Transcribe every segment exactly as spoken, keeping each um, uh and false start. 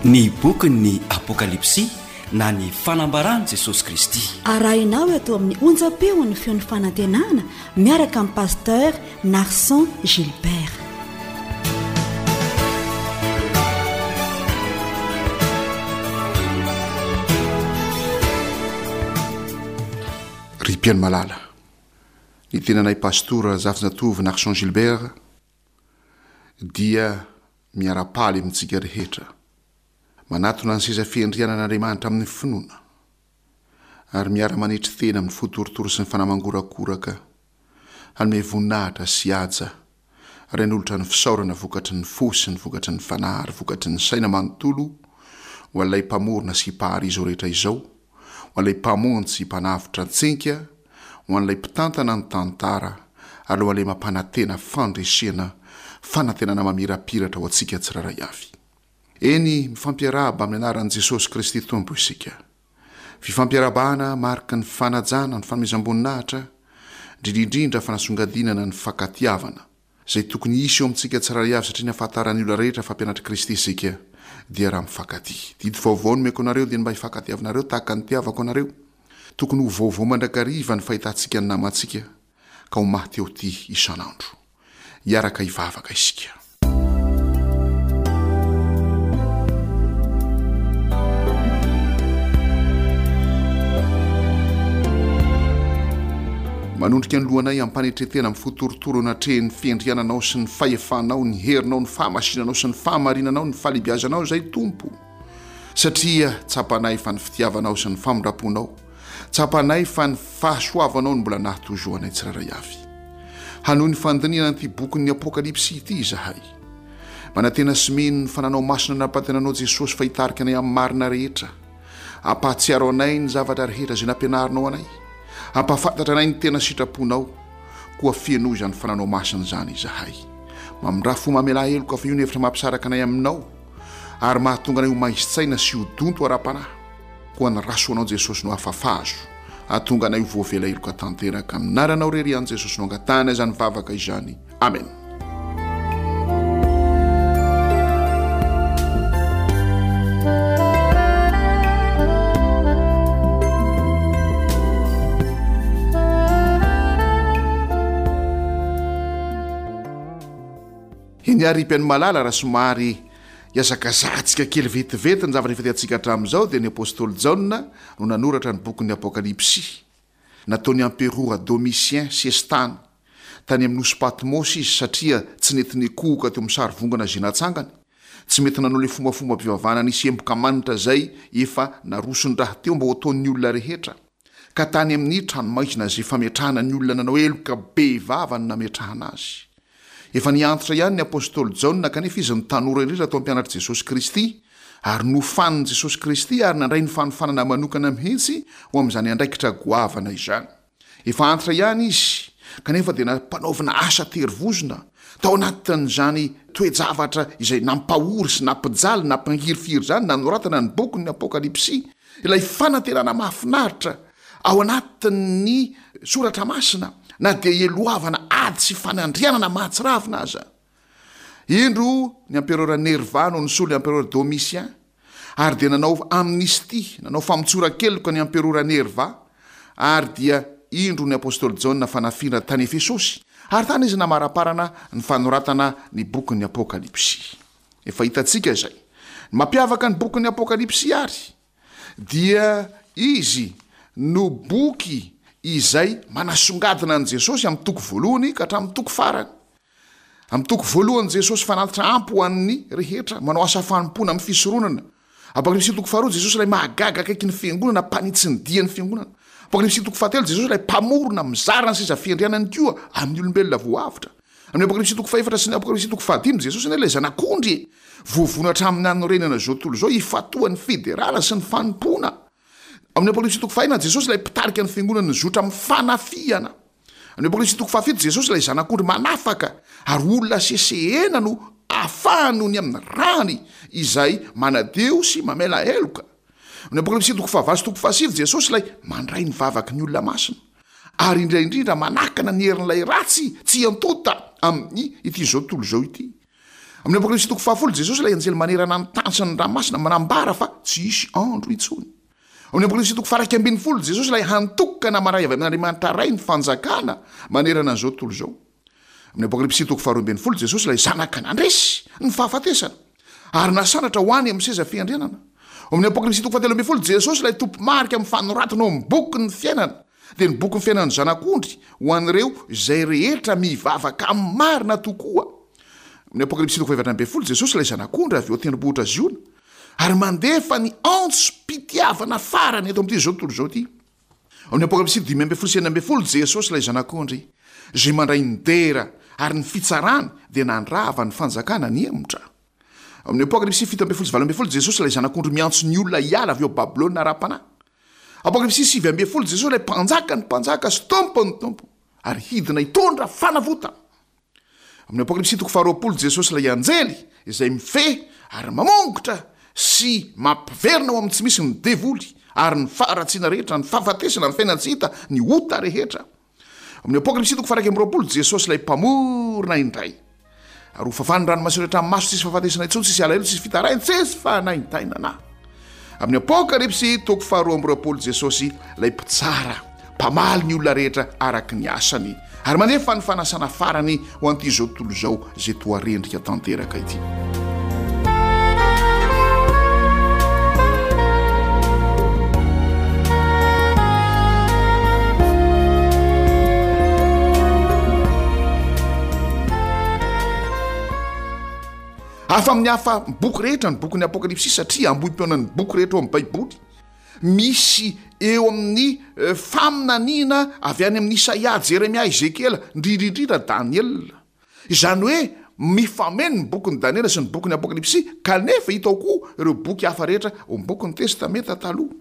Ny bokin'ny Apokalypsy na ny fanambaran'i Jesosy Kristy. Arahinao eto amin'ny onjam-peon'ny feon'ny fanantenana miaraka amin'ny pasteur Narson Gilbert. Ry mpihaino malala, ny tenanay pastora Zafinjatovo Narson Gilbert dia miara-paly amintsika rehetra, manatona ny seza fiandrianan'Andriamanitra amin'ny finoana, ary miara-manetry tena amin'ny fo torotoro sy ny fanahy mangorakoraka, hanome voninahitra sy haja, ary hanolotra ny fisaorana vokatry ny fo sy ny vokatry ny fanahy ary vokatry ny saina manontolo ho an'ilay Mpamorona sy Mpahary izao rehetra izao, ho an'ilay Mpamonjy sy Mpanavotra antsika, ho an'ilay Mpitantana ny tantara, ary ho an'ilay mampanantena fandresena, fanantenana mamirapiratra ho antsika tsirairay avy. Eny, mifampiarahaba amin'ny anaran'i Jesosy Kristy Tompo isika. Fifampiarahabana mariky ny fanajana, ny fanomezam-boninahitra, indrindra indrindra fanasongadinana ny fankatiavana, izay tokony hisy eo amintsika tsirairay avy, satria ny ahafantaran'ny olona rehetra fa mpianatr'i Kristy isika dia raha mifankatia. Didy vaovao nomeko anareo dia ny mba hifankatiavanareo tahaka ny nitiavako anareo. Tokony ho vaovao mandrakariva ny fahitantsika ny namantsika, ka ho maty eo ity isan'andro. Hiaraka hivavaka isika. Manondrika ny lohanay ampanetretena amin'ny fo torotoro anatrehan'ny fiandriananao sy ny fahefanao, ny herinao, ny fahamasinanao sy ny fahamarinanao, ny fahalehibiazanao izay Tompo. Satria tsapanay fa ny fitiavanao sy ny famindram-ponao, tsapanay fa ny fahasoavanao no mbola nahatozoanay tsirairay avy. Hanohy ny fandinihana an'ity bokin'ny Apokalypsy ity izahay. Manantena sy mino ny fananao masina nampantenanao Jesosy fa hitarika anay amin'ny marina rehetra. Ampahatsiaro anay ny zavatra rehetra izay nampianarinao anay. Ampahafantatra anay ny tena sitraponao. Koa fenoy izany fananao masina izany izahay. Mamindrà fo mamelà heloka fa io ny hevitra mampisaraka anay aminao, ary mahatonga anay ho maizin-tsaina sy ho donto ara-panahy. Koa ny ra soanao Jesosy no afafazo, hahatonga anay ho voavela heloka tanteraka. Amin'ny anaranao irery ihany Jesosy no angatahana izany vavaka izany. Amen. Eny ary mpihaino malala, raha somary hiazakazahantsika kely vetivety ny zavatra efa hitantsika hatramin'izao, dia ny apostoly Jaona no nanoratra ny bokin'ny Apokalypsy. Nataon'ny amperora Domitien sesitany tany amin'ny nosy Patmosy izy satria tsy nety nikohoka teo amin'ny sarivongana izay natsangany. Tsy mety nanao ilay fombafombam-pivavahana nisy emboka manitra izay efa narosony rahateo mba ho ataon'ny olona rehetra, ka tany amin'ny tranomaizina izay fametrahana ny olona nanao heloka bevava no nametrahana azy. Efa niantitra ihany ny apostoly Jaona, kanefa izy no tanora indrindra tao mpianatr'i Jesosy Kristy, ary nofanin'i Jesosy Kristy ary nandray ny fanofanana manokana mihitsy ho amin'izany andraikitra goavana izany. Efa antitra ihany izy, kanefa dia nampanaovina asa terivozona tao anatin'izany toe-javatra izay nampahory sy nampijaly, nampangirifiry izany, nanoratana ny bokin'ny Apokalypsy, ilay fanantenana mahafinaritra ao anatin'ny soratra masina, na dia eloavana ady sy fanandrianana mahatsiravina aza. Indro ny amperora Nerva no nisolo ny amperora Domitien, ary dia nanao amnistia, nanao famotsoran-keloka ny amperora Nerva, ary dia indro ny apostoly Jaona fa nafindra tany Efesosy, ary tany izy namaraparana ny fanoratana ny bokin'ny Apokalypsy. Efa hitantsika izay. Ny mampiavaka ny bokin'ny Apokalypsy ary dia izy no boky izay manasongadina an'i Jesosy amin'ny toko voalohany ka hatramin'ny toko farany. Amin'ny toko voalohany Jesosy fanatitra ampy ho an'ny rehetra, manao asa fanompoana amin'ny fisoronana. Apokalypsy toko faharoa Jesosy ilay mahagaga akaiky ny fiangonana, mpanitsy ny dian'ny fiangonana. Apokalypsy toko fahatelo Jesosy ilay mpamorona, mizara ny seza fiandrianany koa amin'ny olombelona voavotra. Amin'ny Apokalypsy toko fahefatra sy ny Apokalypsy toko fahadimy Jesosy anie ilay zanak'ondry e, voavono hatramin'ny nanorenana izao tontolo izao hifatohan'ny fiderana sy ny fanompoana. Amin'ny Apokalypsy toko fahenina Jesosy ilay mpitarika ny fiangonana nizotra amin'ny fanafihana. Amin'ny Apokalypsy toko fahafito Jesosy ilay zanak'ondry manafaka ary olona sesehena no afahany noho ny amin'ny rany izay manadio sy mamela heloka. Amin'ny Apokalypsy toko fahavalo sy toko fahasivy Jesosy ilay mandray ny vavaky ny olona masina ary indrindra indrindra manakana ny herin'ilay ratsy tsy hiantonta amin'ny ity izao tontolo izao ity. Amin'ny Apokalypsy toko fahafolo, Jesosy ilay anjely manerana ny tany sy ny ranomasina manambara fa tsy hisy andro intsony. Amin'ny Apokalypsy toko faha-iraika ambin'ny folo, Jesosy ilay hantokana maray avy amin'Andriamanitra Ray ny fanjakana manerana an'izao tontolo izao. Amin'ny Apokalypsy toko faharoa ambin'ny folo, Jesosy ilay Zanaka nandresy ny fahafatesana ary nasandratra ho any amin'ny seza fiandrianana. Amin'ny Apokalypsy toko fahatelo ambin'ny folo, Jesosy ilay tompo-marika amin'ny fanoratana ao amin'ny bokin'ny fiainana, dia ny bokin'ny fiainan'ny Zanak'ondry ho an'ireo izay rehetra mivavaka amin'ny marina tokoa. Amin'ny Apokalypsy toko fahefatra ambin'ny folo, Jesosy ilay Zanak'ondry avy eo an-tendrombohitra Ziona ary mandefa ny antsom-pitiavana farany eto amin'ity izao tontolo izao ity. Amin'ny Apokalypsy dimy ambin'ny folo sy enina ambin'ny folo, Jesosy ilay Zanak'ondry izay mandray ny dera ary ny fitsarany dia nandrava ny fanjakana nihemotra. Amin'ny Apokalypsy fito ambin'ny folo sy valo ambin'ny folo, Jesosy ilay Zanak'ondry miantso ny olona hiala avy ao Babylona ara-panahy. Apokalypsy sivy ambin'ny folo, Jesosy ilay Mpanjakan'ny mpanjaka sy Tompon'ny tompo ary hidina hitondra fanavotana. Amin'ny Apokalypsy toko faharoapolo, Jesosy ilay anjely izay mifehy ary mamongotra sy mampiverina ao amin'ny tsy misy ny devoly ary ny faharatsiana rehetra, ny fahafatesana, ny fiainan-tsy hita, ny ota rehetra. Amin'ny Apokalypsy toko faha-iraika amby roapolo, Jesosy ilay Mpamorona indray. Ary ho fafan'ny ranomaso rehetra amin'ny maso, tsisy fahafatesana intsony, tsisy alahelo, tsisy fitaraina, tsisy fanaintainana. Amin'ny Apokalypsy toko faharoa amby roapolo, Jesosy ilay Mpitsara, mpamaly ny olona rehetra araka ny asany, ary mandefa ny fanasana farany ho an'ity izao tontolo izao izay toa rendrika tanteraka ity. Hafa amin'ny hafa boky rehetra ny bokin'ny Apokalypsy satria ambohim-peonan'ny boky rehetra ao amin'ny Baiboly. Misy eo amin'ny faminaniana avy any amin'i Isaia, Jeremia, Ezekiela, indrindra indrindra Daniela. Izany hoe mifameno ny bokin'i Daniela sy ny bokin'ny Apokalypsy, kanefa hita ao koa ireo boky hafa rehetra ao amin'ny bokin'ny Testamenta Taloha.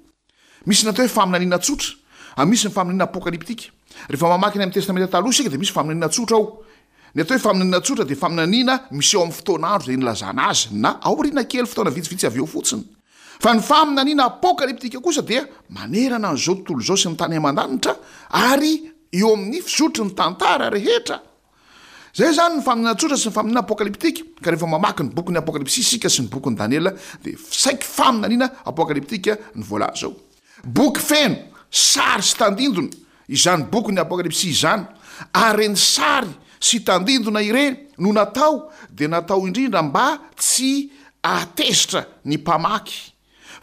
Misy ny atao hoe faminaniana tsotra, ary misy ny faminaniana apokalyptika. Rehefa mamaky ny amin'ny Testamenta Taloha isika dia misy faminaniana tsotra ao. Ny atao hoe faminaniana tsotra dia faminaniana miseho amin'ny fotoan'andro izay nilazana azy, na aoriana kely fotoana vitsivitsy avy eo fotsiny. Fa ny faminaniana apokalyptika kosa dia manerana an'izao tontolo izao sy ny tany aman-danitra ary eo amin'ny fizotry ny tantara rehetra. Izay izany ny faminaniana tsotra sy ny faminaniana apokalyptika, ka rehefa mamaky ny bokin'ny Apokalypsy isika sy ny bokin'i Daniela dia saiky faminaniana apokalyptika ny voalaza ao. Boky feno sary sy tandindona izany bokin'ny Apokalypsy izany, ary ireny sary sy tandindona ireny no natao dia natao indrindra mba tsy ahatezitra ny mpamaky.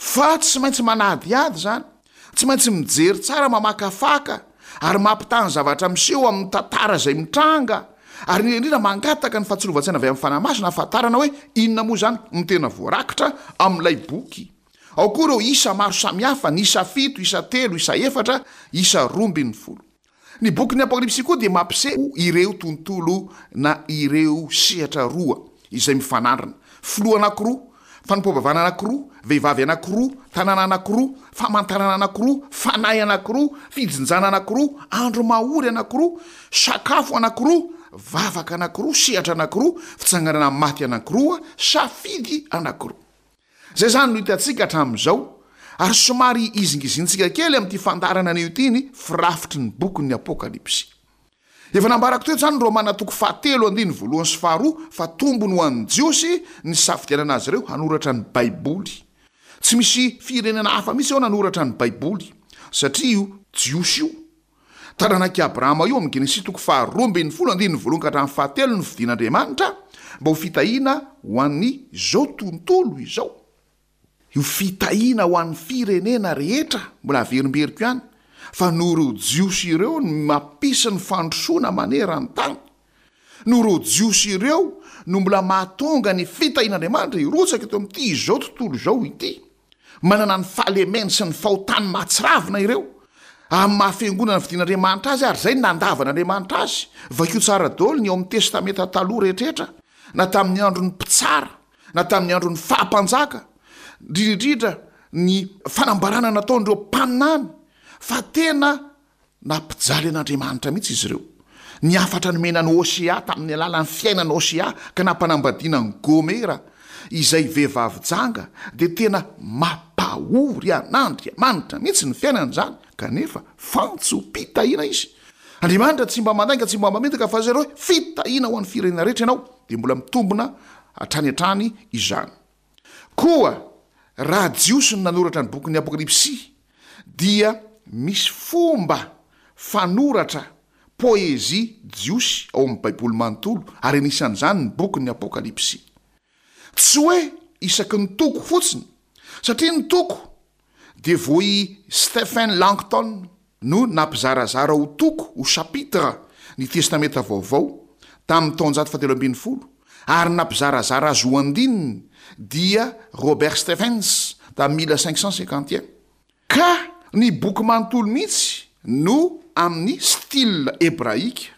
Fa tsy maintsy manadihady izany, tsy maintsy mijery tsara, mamakafaka ary mampitaha ny zavatra miseho amin'ny tantara izay mitranga, ary indrindra indrindra mangataka ny fahatsiarovan-tsaina avy amin'ny Fanahy Masina hahafantarana hoe inona moa izany no tena voarakitra amin'ilay boky. Ao koa ireo isa maro samihafa, ny isa fito, isa telo, isa efatra, isa roa ambin'ny folo. Ny bokin'ny Apokalypsy koa dia mampiseho ireo tontolo na ireo sehatra roa izay mifanandrina, filoha anankiroa, fanompoam-pivavahana anankiroa, vehivavy anankiroa, tanàna anankiroa, famantarana anankiroa, fanahy anankiroa, fijinjana anankiroa, andro mahory anankiroa, sakafo anankiroa, vavaka anankiroa, sehatra anankiroa, fitsanganana maty anankiroa, safidy anankiroa. Izay izany no hitantsika hatramin'izao, ary somary hizingizintsika kely amin'ity fandaharana anio ity ny firafitry ny bokin'ny Apokalypsy. Efa nambarako teto izany ny Romana toko fahatelo andininy voalohany sy faharoa fa tombony ho an'ny Jiosy ny nisafidianana azy ireo hanoratra ny Baiboly. Tsy misy firenena hafa mihitsy eo nanoratra ny Baiboly, satria io Jiosy io Taranak'i Abrahama io amin'ny Genesisy toko faharoa ambin'ny folo andininy voalohany ka hatramin'ny fahatelo no fidin'Andriamanitra mba ho fitahiana ho an'izao tontolo izao. Io fitahiana ho an'ny firenena rehetra, mbola averimberiko ihany, fa noho ireo Jiosy ireo no mampisy ny fandrosoana maneran-tany. Noho ireo Jiosy ireo no mbola mahatonga ny fitahian'Andriamanitra hirotsaka eto amin'ity izao tontolo izao ity. Manana ny fahalemeny sy ny fahotany mahatsiravina ireo, amin'ny maha fiangonana fidin'Andriamanitra azy ary izay no nandavan'Andriamanitra azy. Vakio tsara daholo ny ao amin'ny Testamenta Taloha rehetrarehetra, na tamin'ny andron'ny mpitsara, na tamin'ny andron'ny faha-mpanjaka, indrindra indrindra ny fanambarana nataon'ireo mpaminany, fa tena Nampijaly an'Andriamanitra mihitsy izy ireo. Ny hafatra nomena an'i Hosea tamin'ny alalan'ny fiainan'i Hosea ka nampanambadiana an'i Gomera, izay vehivavy janga, dia tena mampahory an'Andriamanitra mihitsy ny fiainany izany, kanefa fantsom-pitahiana izy. Andriamanitra tsy mba mandainga, tsy mba mamitaka, fa izay hoe fitahiana ho an'ny firenena rehetra ianao, dia mbola mitombina hatrany hatrany izany. Koa raha Jiosy no nanoratra ny bokin'ny Apokalypsy dia misy fomba fanoratra poezia jiosy ao amin'ny Baiboly manontolo, ary anisan'izany ny bokin'ny Apokalypsy. Tsy hoe isaky ny toko fotsiny, satria ny toko dia vao i Stephen Langton no nampizarazara ho toko, ho chapitre, ny Testamenta Vaovao tamin'ny taonjato fahatelo ambin'ny folo, ary nampizarazara azy ho andininy dia Robert Stephens tamin'ny mille cinq cent cinquante et un. Ka ny boky manontolo mihitsy no amin'ny style hebraika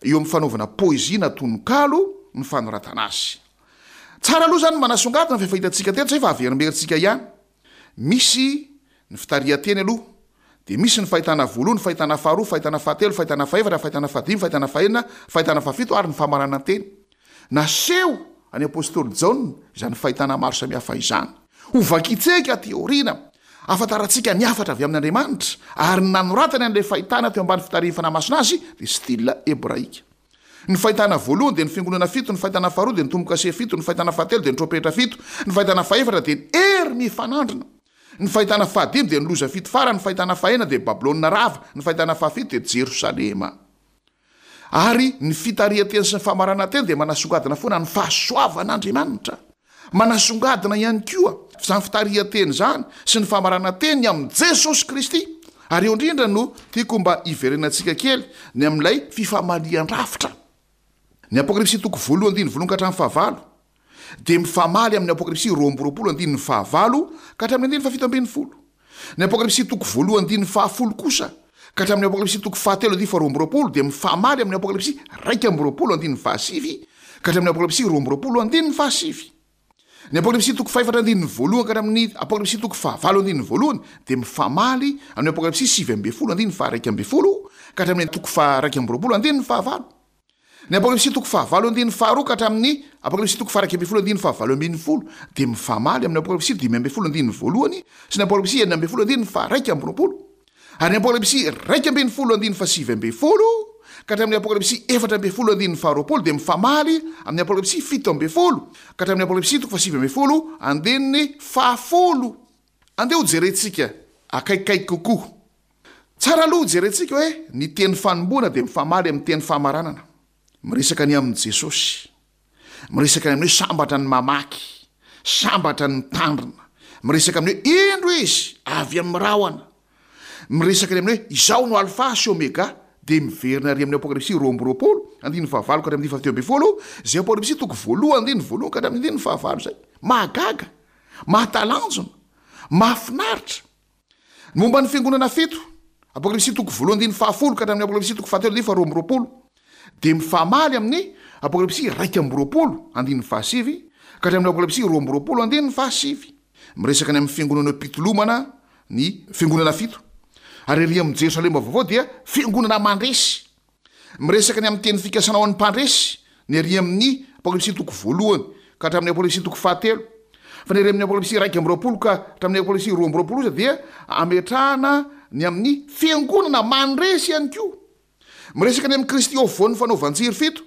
eo amin'ny fanaovana poezia na tononkalo ny fanoratana azy. Tsara aloha izany ny manasongadina fa efa hitantsika teto izay fa averimberintsika ihany. Misy ny fitarihan-teny aloha, dia misy ny fahitana voalohany, fahitana faharoa, fahitana fahatelo, fahitana fahefatra, fahitana fahadimy, fahitana fahenina, fahitana fahafito ary ny famaranan-teny. Naseho an'i Apostoly Jaona izany fahitana maro samihafa izany. Ho vakintsika aty aoriana, ahafantarantsika ny hafatra avy amin'Andriamanitra, ary ny nanoratany an'ilay fahitana teo ambany fitarihin'ny Fanahy Masina azy dia style hebraika. Ny fahitana voalohany dia ny fiangonana fito, ny fahitana faharoa dia ny tombo-kase fito, ny fahitana fahatelo dia ny trompetra fito, ny fahitana fahefatra dia ny hery mifanandrina, ny fahitana fahadimy dia ny loza fito farany, ny fahitana fahenina dia Babylona rava, ny fahitana fahafito dia Jerosalema. Ary ny fitarihan-teny sy ny famaranan-teny dia manasongadina foana ny fahasoavan'Andriamanitra. Manasongadina ihany koa izany fitarihan-teny izany sy ny famaranan-teny ny amin'i Jesosy Kristy. Ary eo indrindra no tiako mba hiverenantsika kely ny amin'ilay fifamalian-drafitra. Ny Apokalypsy toko voalohany andininy voalohany ka hatramin'ny fahavalo dia mifamaly amin'ny Apokalypsy roa amby roapolo andininy fahavalo ka hatramin'ny andininy fahafito ambin'ny folo. Ny Apokalypsy toko voalohany andininy fahafolo kosa ka hatramin'ny Apokalypsy toko fahatelo andininy faharoa amby roapolo dia mifamaly amin'ny Apokalypsy iraika amby roapolo andininy fahasivy ka hatramin'ny Apokalypsy roa amby roapolo andininy fahasivy. Ny Apokalypsy toko fahefatra andininy voalohany ka hatramin'ny Apokalypsy toko fahavalo andininy voalohany dia mifamaly amin'ny Apokalypsy sivy ambin'ny folo andininy faharaika ambin'ny folo ka hatramin'ny toko faharaika amby roapolo andininy fahavalo. Ny Apokalypsy toko fahavalo andininy faharoa ka hatramin'ny Apokalypsy toko faharaika ambin'ny folo andininy fahavalo ambin'ny folo dia mifamaly amin'ny Apokalypsy dimy ambin'ny folo andininy voalohany sy ny Apokalypsy enina ambin'ny folo andininy faharaika amby roapolo. Ary ny Apokalypsy iraika ambin'ny folo andininy fahasivy ambin'ny folo ka hatramin'ny Apokalypsy efatra ambin'ny folo andininy faharoapolo dia mifamaly amin'ny Apokalypsy fito ambin'ny folo ka hatramin'ny Apokalypsy toko fahasivy ambin'ny folo andininy fahafolo. Andeha hojerentsika akaikikaiky kokoa. Tsara aloha hojerentsika hoe ny teny fanombohana dia mifamaly amin'ny teny famaranana. Miresaka ny amin'i Jesosy. Miresaka ny amin'ny hoe sambatra ny mamaky, sambatra ny mitandrina. Miresaka amin'ny hoe indro izy avy amin'ny rahona. Miresaka ny amin'ny hoe izaho no Alfa sy Omega, dia miverina ary amin'ny Apokalypsy roa amby roapolo, andininy fahavalo ka hatramin'ny fahatelo ambin'ny folo, izay Apokalypsy toko voalohany andininy voalohany ka hatramin'ny andininy fahavalo izay. Mahagaga, mahatalanjona, mahafinaritra. Ny momba ny fiangonana fito, Apokalypsy toko voalohany andininy fahafolo ka hatramin'ny Apokalypsy toko fahatelo andininy faharoa amby roapolo, dia mifamaly amin'ny Apokalypsy iraika amby roapolo andininy fahasivy ka hatramin'ny Apokalypsy roa amby roapolo andininy fahasivy. Miresaka ny amin'ny fiangonana mpitolomana ny fiangonana fito, ary ery amin'ny Jerosalema vaovao dia fiangonana mandresy. Miresaka ny amin'ny teny fikasana ho an'ny mpandresy ny ery amin'ny Apokalypsy toko voalohany ka hatramin'ny Apokalypsy toko fahatelo. Fa ny ery amin'ny Apokalypsy iraika amby roapolo ka hatramin'ny Apokalypsy roa amby roapolo kosa dia ametrahana ny amin'ny fiangonana mandresy ihany koa. Miresaka ny amin'i Kristy eo afovoan'ny fanaovan-jiro fito.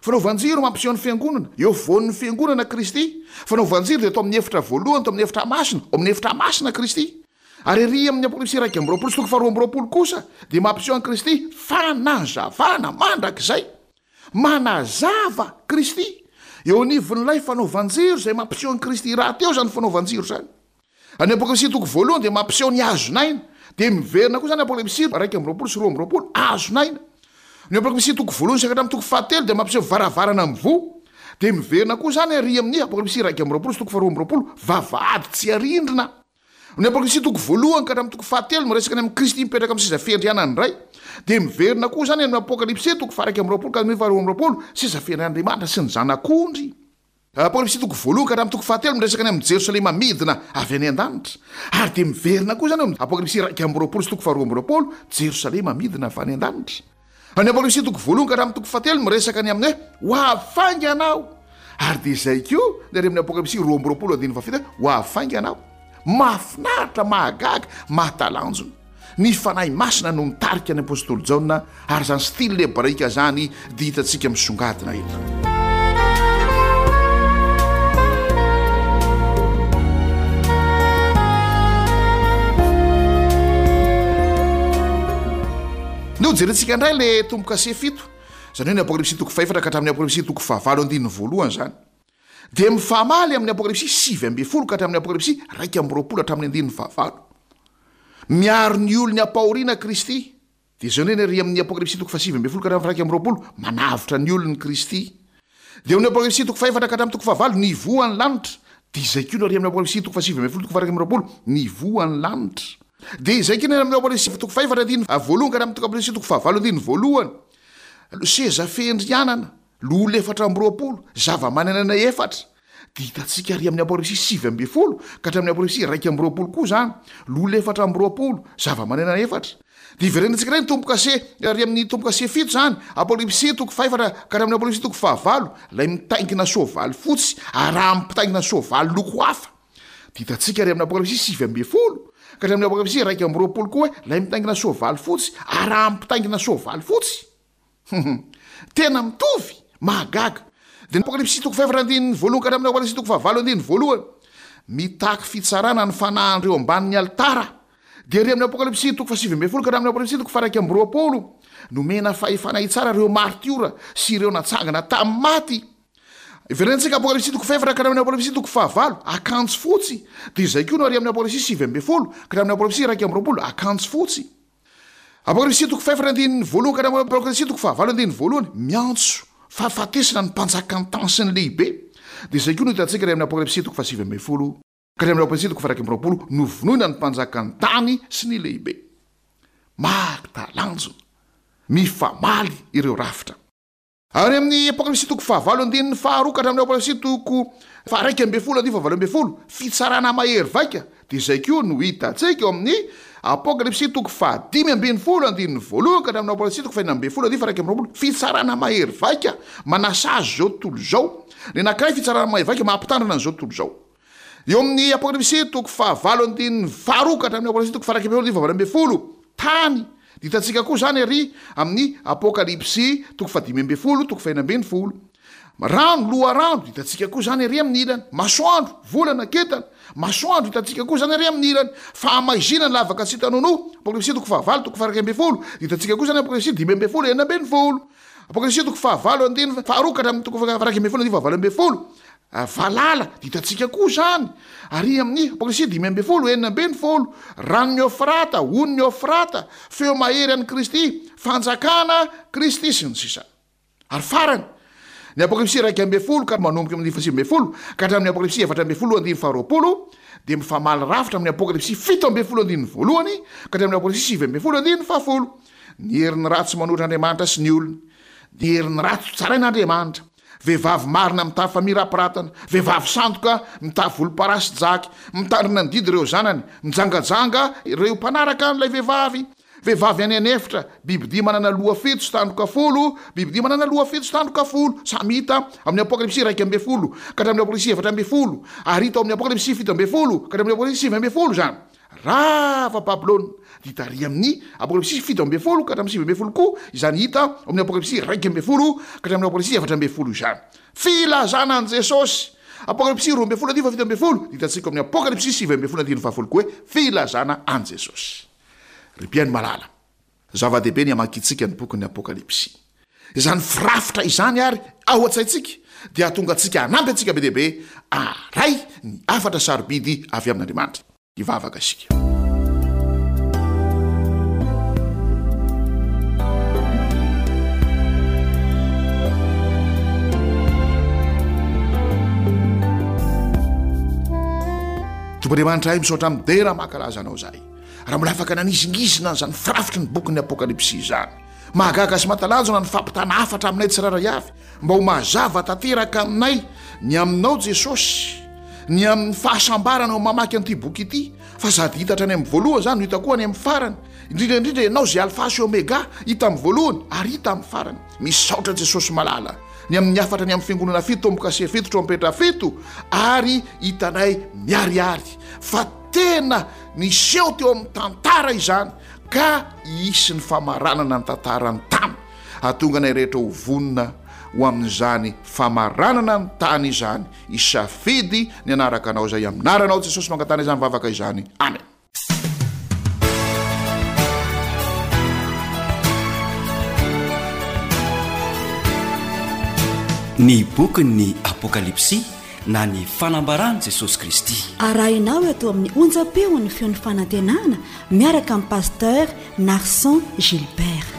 Fanaovan-jiro mampiseho ny fiangonana. Eo afovoan'ny fiangonana Kristy. Fanaovan-jiro dia tao amin'ny efitra voalohany, tao amin'ny efitra masina, ao amin'ny efitra masina Kristy. Ary ery amin'ny Apokalypsy iraika amby roapolo sy toko faharoa amby roapolo kosa dia mampiseho an'i Kristy fanazavana mandrakizay. Manazava Kristy eo anivon'ilay fanaovan-jiro izay mampiseho an'i Kristy rahateo izany fanaovan-jiro izany. Any Apokalypsy toko voalohany dia mampiseho ny hazon'aina. Dia miverina koa izany Apokalypsy iraika amby roapolo sy roa amby roapolo, hazon'aina. Ny Apokalypsy toko voalohany sy hatramin'ny toko fahatelo dia mampiseho varavarana mivoha. Dia miverina koa izany ary amin'ny Apokalypsy iraika amby roapolo sy toko faharoa amby roapolo, vavahady tsy arindrina. Ny Apokalypsy toko voalohany ka hatramin'ny toko fahatelo miresaka ny amin'i Kristy mipetraka amin'ny seza fiandrianan'ny Ray. Dia miverina koa izany amin'ny Apokalypsy toko faha-iraika amby roapolo ka hatramin'ny faharoa amby roapolo, seza fiandrian'Andriamanitra sy ny Zanak'ondry. Apokalypsy toko voalohany ka hatramin'ny toko fahatelo miresaka ny amin'i Jerosalema midina avy any an-danitra. Ary dia miverina koa izany ao amin'ny Apokalypsy iraika amby roapolo sy toko faharoa amby roapolo, Jerosalema midina avy any an-danitra. Any Apokalypsy toko voalohany ka hatramin'ny toko fahatelo miresaka ny amin'ny hoe ho avy faingana aho. Ary dia izay koa ny ary amin'ny Apokalypsy roa amby roapolo andininy fahafito hoe ho avy faingana aho. Mahafinaritra, mahagaga, mahatalanjona. Ny Fanahy Masina no nitarika ny apostoly Jaona, ary izany style hebraika izany dia hitantsika misongadina eto. Andeha hojerentsika indray le tombo-kase fito, izany hoe ny Apokalypsy toko fahefatra ka hatramin'ny Apokalypsy toko fahavalo andininy voalohany izany. Dia mifamaly amin'ny Apokalypsy sivy ambin'ny folo ka hatramin'ny Apokalypsy iraika amby roapolo hatramin'ny andininy fahavalo. Miaro ny olony ampahoriana Kristy. Dia izao indray ny ary amin'ny Apokalypsy toko fahasivy ambin'ny folo ka hatramin'ny faharaika amby roapolo, manavotra ny olony Kristy. Dia eo amin'ny Apokalypsy toko fahefatra ka hatramin'ny toko fahavalo, nivoha ny lanitra. Dia izay koa no ary amin'ny Apokalypsy toko fahasivy ambin'ny folo toko faharaika amby roapolo, nivoha ny lanitra. Dia izay koa ny amin'ny Apokalypsy toko fahefatra andininy voalohany ka hatramin'ny Apokalypsy toko fahavalo andininy voalohany. Seza fiandrianana, loholona efatra amby roapolo, zava-manan'aina efatra. Dia hitantsika ary amin'ny Apokalypsy sivy ambin'ny folo ka hatramin'ny Apokalypsy iraika amby roapolo koa izany, loholona efatra amby roapolo, zava-manan'aina efatra. Dia hiverenantsika indray ny tombo-kase ary amin'ny tombo-kase fito izany, Apokalypsy toko fahefatra ka hatramin'ny Apokalypsy toko fahavalo, ilay mitaingina soavaly fotsy arahan'ny mpitaingina soavaly loko hafa. Dia hitantsika ary amin'ny Apokalypsy sivy ambin'ny folo ka hatramin'ny Apokalypsy iraika amby roapolo koa hoe ilay mitaingina soavaly fotsy arahan'ny mpitaingina soavaly fotsy. Tena mitovy, mahagaga. Dia ny Apokalypsy toko fahefatra andininy voalohany ka hatramin'ny Apokalypsy toko fahavalo andininy voalohany. Mitaky fitsarana ny fanahin'ireo ambanin'ny alitara. Dia ery amin'ny Apokalypsy toko fahasivy ambin'ny folo ka hatramin'ny Apokalypsy toko faharaika amby roapolo, nomena fahefana hitsara ireo martiora sy ireo natsangana tamin'ny maty. Iverenantsika Apokalypsy toko fahefatra ka hatramin'ny Apokalypsy toko fahavalo, akanjo fotsy. Dia izay koa no ary amin'ny Apokalypsy sivy ambin'ny folo ka hatramin'ny Apokalypsy iraika amby roapolo, akanjo fotsy. Apokalypsy toko fahefatra andininy voalohany ka hatramin'ny Apokalypsy toko fahavalo andininy voalohany, miantso fahafatesana ny mpanjakan'ny tany sy ny lehibe. Dia izay koa no hitantsika ary amin'ny Apokalypsy toko fahasivy ambin'ny folo ka hatramin'ny Apokalypsy toko faha-iraika amby roapolo, novonoina ny mpanjakan'ny tany sy ny lehibe. Mahatalanjona, mifamaly ireo rafitra. Ary amin'ny Apokalypsy toko fahavalo andininy faharoa ka hatramin'ny Apokalypsy toko faharaika ambin'ny folo andininy fahavalo ambin'ny folo, fitsarana mahery vaika, dia izay koa no hitantsika ao amin'ny Apokalypsy toko fahadimy ambin'ny folo andininy voalohany ka hatramin'ny Apokalypsy toko fahenina ambin'ny folo andininy faharaika amby roapolo, fitsarana mahery vaika manasazy izao tontolo izao. Ny anankiray fitsarana mahery vaika mampitandrina an'izao tontolo izao. Eo amin'ny Apokalypsy toko fahavalo andininy faharoa ka hatramin'ny Apokalypsy toko faharaika ambin'ny folo andininy fahavalo ambin'ny folo, tany. Dia hitantsika koa izany ary amin'ny Apokalypsy toko fahadimy ambin'ny folo, toko fahenina ambin'ny folo. Rano, loharano, dia hitantsika koa izany ary amin'ny ilany. Masoandro, volana, kintana. Masoandro, hitantsika koa izany ary amin'ny ilany. Fahamaizinana, lavaka tsy hita nonoa. Apokalypsy toko fahavalo, toko faharaika ambin'ny folo. Dia hitantsika koa izany Apokalypsy dimy ambin'ny folo, enina ambin'ny folo. Apokalypsy toko fahavalo andininy faharoa ka hatramin'ny toko faharaika ambin'ny folo andininy fahavalo ambin'ny folo. Valala, dia hitantsika koa izany ary amin'ny Apokalypsy dimy ambin'ny folo, enina ambin'ny folo. Ranon'i Eofrata, onin'i Eofrata, feo mahery an'i Kristy, fanjakana Kristy, sy ny sisa. Ary farany, ny Apokalypsy iraika ambin'ny folo ka manomboka amin'ny fahasivy ambin'ny folo ka hatramin'ny Apokalypsy efatra ambin'ny folo andininy faharoapolo dia mifamaly rafitra amin'ny Apokalypsy fito ambin'ny folo andininy voalohany ka hatramin'ny Apokalypsy sivy ambin'ny folo andininy fahafolo. Ny herin'ny ratsy manohitra Andriamanitra sy ny olony. Ny herin'ny ratsy tsarain'Andriamanitra. Vehivavy marina mitafy famirapiratana, vehivavy sandoka mitafy volomparasy jaky, mitandrina ny didy ireo zanany, mijangajanga ireo mpanaraka an'ilay vehivavy, vehivavy any an'efitra, bibidia manana loha fito sy tandroka folo, bibidia manana loha fito sy tandroka folo, samy hita amin'ny Apokalypsy iraika ambin'ny folo ka hatramin'ny Apokalypsy efatra ambin'ny folo, ary hita ao amin'ny Apokalypsy fito ambin'ny folo ka hatramin'ny Apokalypsy sivy ambin'ny folo izany. Rava Babylona, dia hita ary amin'ny Apokalypsy fito ambin'ny folo ka hatramin'ny sivy ambin'ny folo koa izany hita ao amin'ny Apokalypsy iraika ambin'ny folo ka hatramin'ny Apokalypsy efatra ambin'ny folo izany. Filazana an'i Jesosy. Apokalypsy roa ambin'ny folo andininy fahafito ambin'ny folo, dia hitantsika ao amin'ny Apokalypsy sivy ambin'ny folo andininy fahafolo koa hoe filazana an'i Jesosy. Ry mpihaino malala, zava-dehibe ny hamakiantsika ny bokin'ny Apokalypsy. Izany firafitra izany ary ao an-tsaintsika dia hahatonga antsika hanampy antsika be dia be haharay ny hafatra sarobidy avy amin'Andriamanitra. Hivavaka isika. Tompo Andriamanitra ay, misaotra midera mankalaza anao izahay. Raha mbola afaka nanizingizina an'izany firafitry ny bokin'ny Apokalypsy izany. Mahagaga sy mahatalanjona ny fampitana hafatra aminay tsirairay avy mba ho mazava tanteraka aminay ny aminao Jesosy, ny amin'ny fahasambarana ao mamaky an'ity boky ity, fa sady hita hatrany amin'ny voalohany izany no hita koa any amin'ny farany, indrindra indrindra ianao izay Alfa sy Omega, hita amin'ny voalohany ary hita amin'ny farany. Misaotra Jesosy malala ny amin'ny hafatra ny amin'ny fiangonana fito, tombo-kase fito, trompetra fito, ary hitanay miharihary fa tena niseho teo amin'ny tantara izany ka hisy ny famaranana ny tantaran'ny tany. Hahatonga anay rehetra ho vonona ho amin'izany famaranana ny tany izany. Hisafidy ny hanaraka anao izay amin'ny anaranao Jesosy mangatana izany vavaka izany. Amen. Ny bokin'ny Apokalypsy na ny fanambaran'i Jesosy Kristy. Arahinao eto amin'ny onjam-peon'ny feon'ny fanantenana miaraka amin'ny pasteur Narson Gilbert.